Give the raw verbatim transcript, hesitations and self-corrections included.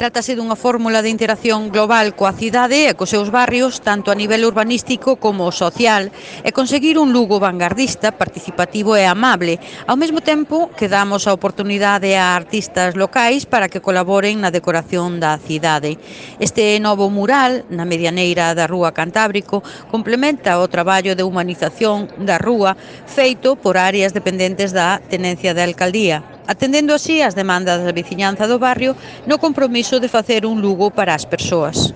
Trátase dunha fórmula de interacción global coa cidade e cos seus barrios, tanto a nivel urbanístico como social, e conseguir un Lugo vanguardista, participativo e amable, ao mesmo tempo que damos a oportunidade a artistas locais para que colaboren na decoración da cidade. Este novo mural, na medianeira da Rúa Cantábrico, complementa o traballo de humanización da rúa feito por áreas dependentes da Tenencia de Alcaldía, atendendo así as demandas da veciñanza do barrio no compromiso de facer un Lugo para as persoas.